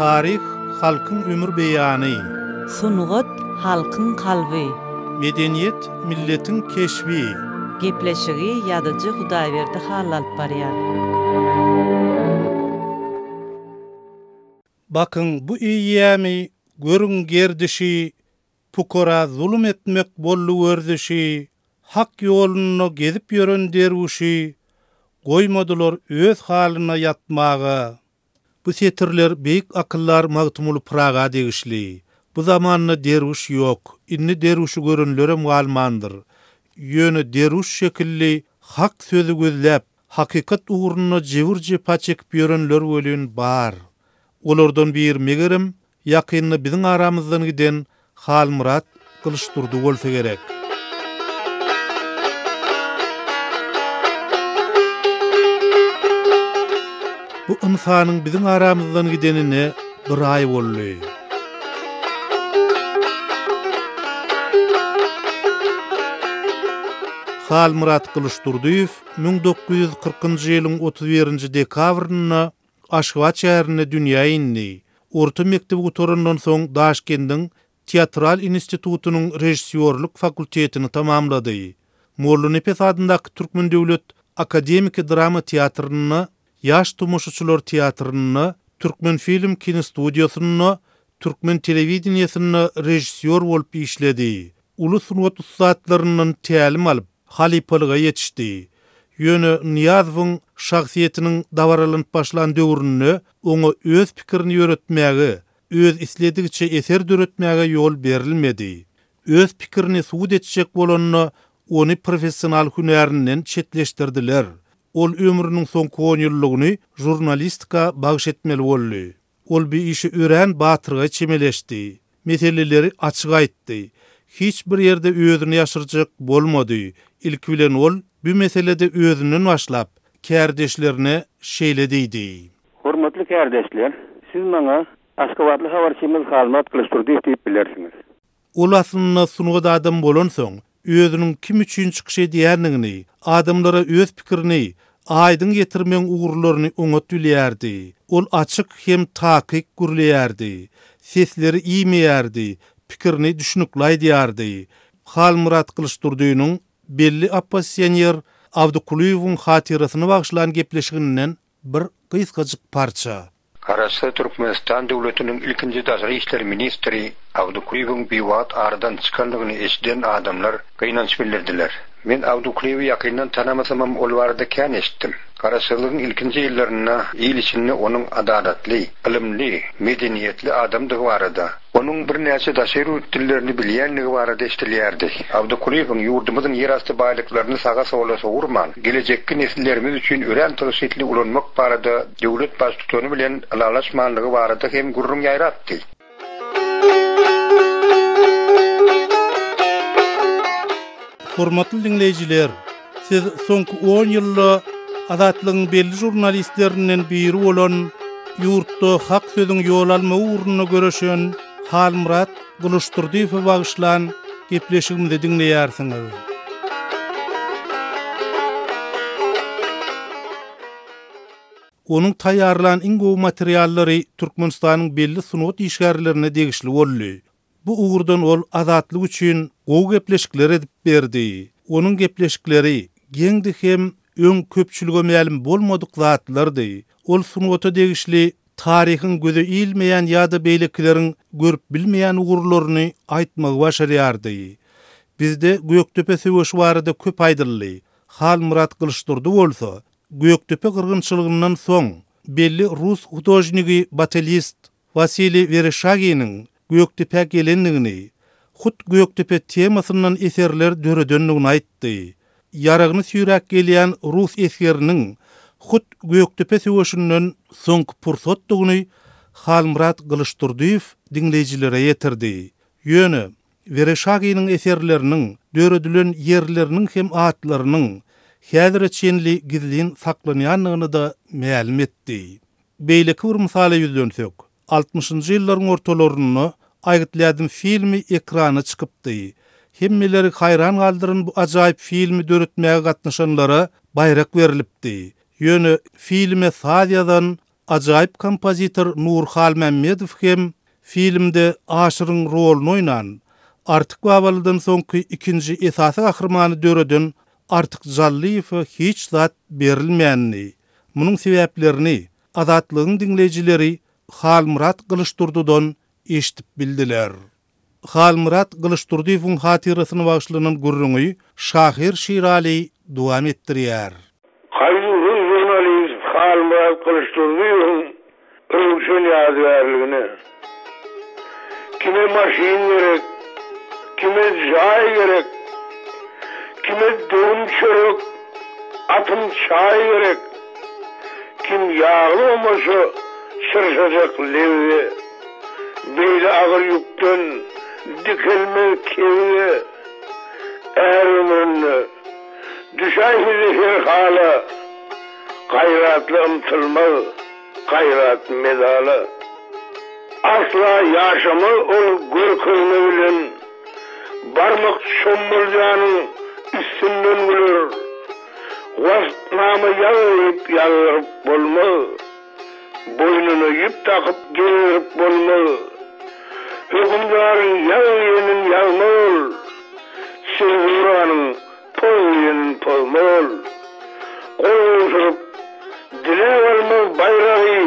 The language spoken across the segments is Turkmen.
Taryh halkyň ömür beýany. Sungat halkyň kalby. Medeniýet milletiň keşbi. Gepleşigi ýazyjy Hudaýberdi Hally alyp barýar. Bakyň bu eýýämi, görüň gerdişi, Pukara zulum etmek boldy werzişi, Hak ýolunda gezip ýören derwüşi Goýmadylar öz halyna ýatmaga. Bu setirler beýik akyldar Magtymguly Pyraga degişli. Bu zamanda derwüş ýok, indi derwüşi görenlerem galmandyr. Ýöne derwüş şekilli hak sözi gözläp, hakykat ugrunda jebir-jepa çekip ýörenler welin bar. Olardan biri megerem, Ýakynda biziň aramyzdan giden Halmyrat Gylyçdurdy bolsa gerek. Bu ynsanyň biziň aramyzdan gidenine bir aý boldy. Halmyrat Gylyçdurdyýew 1940-njy ýylyň 31-nji dekabrynda Aşgabat şäherinde dünýä indi. Orta mekdebi gutarandan soň Daşkendiň Teatral institutynyň režissýorlyk fakultetini tamamlady. Mollanepes adyndaky Türkmen döwlet akademiki drama teatrynda, Ýaş tomaşaçylar teatrynda, Türkmenfilm kinostudiýasynda, Türkmen telewideniýesinde režissýor bolup işledi. Uly sungat ussatlaryndan tälim alyp, halypalyga ýetişdi. Ýöne Nyýazowyň şahsyýetiniň dabaralanyp başlan döwründe oňa öz pikirini ýöretmäge, öz isledigiçe eser döretmäge ýol berilmedi. Öz pikirini subut etjek bolanda ony professional hünärinden çetleşdirdiler. Ol ömrüniň soňky onýyllygyny žurnalistika bagyş etmeli boldy. Ol bu işe örän batyrgaý çemeleşdi. Meseleleri açyk aýtdy. Hiç bir ýerde özüni ýaşyrjak bolmady. Ilki bilen ol bu meselede özünden başlap, kärdeşlerine şeýle diýdi. Hormatly kärdeşler, siz maňa Aşgabatly habarçymyz Halmyrat Gylyçdurdyýew diýip bilersiňiz. Ol aslynda sungat adamy bolansoň, özüniň kim üçin çykyş edýändigini, adamlara öz pikirini aýdyň ýetirmegiň ugurlaryny oňat bilýärdi. Ol açyk hem takyk gürleýärdi. Sesleri iýmeýärdi, pikirini düşnükli aýdýardy. Halmyrat Gylyçdurdynyň belli oppozisioner Abdy Kulyýewiň hatyrasyna bagyşlan gepleşiginden bir gysgajyk parça. Garaşsyz Türkmenistan döwletiniň ilkinji daşary işler ministri Abdy Kulyýewiň biwagt aradan çykandygyny eşiden adamlar gynanç bildirdiler. Men Abdy Kulyýewi ýakyndan tanamasamam ol barada kän eşitdim. Garaşsyzlygyň ilkinji ýyllarynda il içinde onuň adalatly, ylymly, medeniýetli adamdygy barada, Onuň birnäçe daşary ýurt dillerini bilýändigi barada eşidilýärdi. Abdy Kulyýewiň ýurdumyzyň ýerasty baýlyklaryny saga-sola sowurman, gelejekki nesillerimiz üçin örän tygşytly ulanmak barada döwlet Baştutany bilen ylalaşmanlygy barada hem gürrüň ýaýrapdy. Hormatly diňleýjiler, siz soňky on ýylda Azatlygyň belli žurnalistlerinden biri bolan, ýurtda hak sözüň ýol almagy ugrunda göreşen Halmyrat Gylyçdurdyýewe bagyşlan gepleşigimizi diňleýärsiňiz. Onuň taýýarlan iň gowy materiallary Türkmenistanyň belli sungat işgärlerine degişli boldy. Bu ugurdan ol Azatlyk üçin gowy gepleşikler edip berdi. Onuň gepleşikleri geňdi hem öň köpçülige mälim bolmadyk zatlardy. Ol sungata degişli taryhyň göze ilmeýän ýa-da beýlekileriň görüp bilmeýän ugurlaryny aýtmagy başarýardy. Bizde Gökdepe söweşi barada köp aýdyldy. Halmyrat Gylyçdurdy bolsa, Gökdepe gyrgynçylygyndan soň belli rus hudožnigi batelist Wasiliý Wereşaginiň Gökdepä gelendigini, hut Gökdepe temasyndan eserler döredendigini aýtdy. Ýaragyny süýräp gelýän rus esgeriniň hut Gökdepe söweşinden soňky pursatdygyny Halmyrat Gylyçdurdyýew diňleýjilere ýetirdi. Ýöne, Wereşaginiň eserleriniň döredilen ýerleriniň hem atlarynyň häzire çenli gizlin saklanýandygyny-da mälim etdi. Beýleki bir mysala ýüzlensek, altmyşynjy ýyllaryň ortalarynda Aýgytly ädim filmi ekrana çykypdy. Hemmeleri haýran galdyran bu ajaýyp filmi döretmäge gatnaşanlara baýrak berlipdi. Ýöne filme saz ýazan. Ajaýyp kompozitor Nury Halmämmedow hem filmde Aşyryň roluny oýnan, Artyk Babalydan soňky ikinji esasy gahrymany döreden Artyk Jallyýewe hiç zat berilmändi. Munuň sebäplerini Azatlygyň diňleýjileri Halmyrat Gylyçdurdydan eşidip bildiler. Halmyrat Gylyçdurdyýewiň hatyrasyna bagyşlanan gürrüňi şahyr Şiraly dowam etdirýär. Gaýduwsyz žurnalist Halmyrat Gylyçdurdyýewiň röwşen ýadygärligine. Kime maşyn gerek, kime jaý gerek, Kime döwüm çörek, atym çaý gerek, Kim ýagly omaça çyrşajak lebze, Beýle agyr ýükden dikelmez kebze. Är ömründe düşäýse-de her hala, Gaýratly ymtylmaz gaýrat medala. Asla ýaşamaz ol görkezme bilen, Barmak çommaljanyň üstünden güler. Waspnama ýaz diýip ýazdyryp bolmaz. Boýnuna ýüp dakyp gezdirip bolmaz. Hökümdaryň ýaz diýenin ýazmaz ol. Senzuranyň poz diýenin pozmaz ol. Gol gowşuryp, diläp almaz baýragy.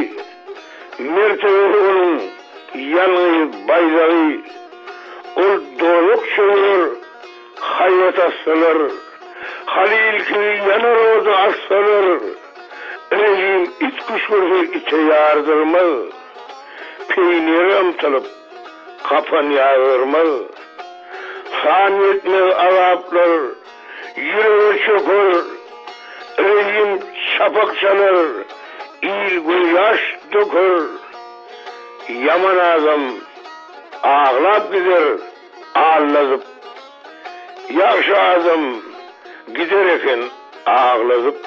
Mertebesi onuň ýalňyz baýdagy. Ol dozak çöwrer, haýbat atsalar. Halyl kibi ýanar oda atsalar. Rejim it küşgürse ite ýardyrmaz, Peýnire ymtylyp, gapan ýazdyrmaz. San ýetmez azaplar ýürege çöker, Rejim çapak çalar, il gözýaş döker. Ýaman adam aglap gider Alladyp. Ýagşy adam gider eken agladyp.